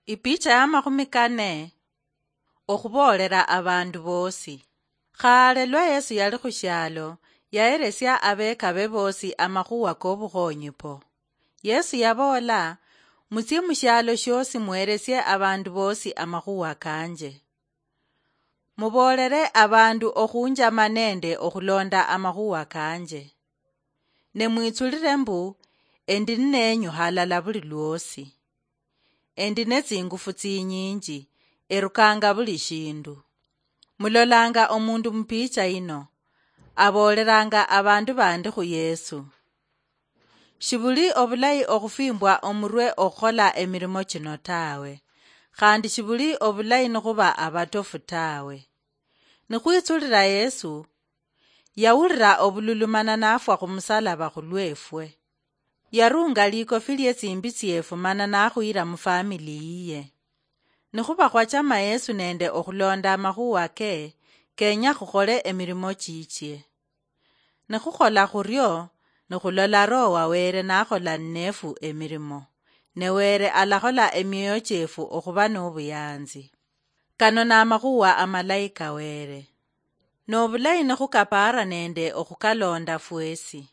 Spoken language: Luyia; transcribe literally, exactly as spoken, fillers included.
Ipicha ya makhumi kane. Okhuboolera abandu boosi. Khaale lwa Yesu yali khu shialo, yaheresia abeekabe boosi amakhuwa k'obukhoonyi po. Yesu yaboola, "Mutsie mu shialo shioosi muheresie abandu boosi amakhuwa kanje. Muboolere abandu okhunjama nende okhuloonda amakhuwa kanje. Ne mwitsulire mbu, endi nineenyu halala buli lwoosi. Endi netsingufu tsinyinji, erukanga buli shindu." Mulolanga omundu mupicha yino, aboolelanga abandu bandi khu Yesu. Shibuli obulayi okhufimbwa omurwe okhukhola emirimo chino tawe, khandi shibuli obulayi nikhuba abatofu tawe. Nikhwitsulira Yesu, yawulira obululu mana nafwa khumusalaba khulwefwe. Yarunga likofi lietsimbi tsiefu mana nakhuyira mufamili yiye. Nikhuba khwachama Yesu nende okhulonda amakhuwa ke, kenya khukhole emirimo chichie. Nikhukhola khurio, nikhulola Roho wa Wele nakhola nnefu emirimo, ne Wele alakhola emioyo chiefu okhuba nobuyanzi. Kano namakhuwa amalayi ka Wele. Nobulayi nikhukapaara nende okhukalonda fwesi.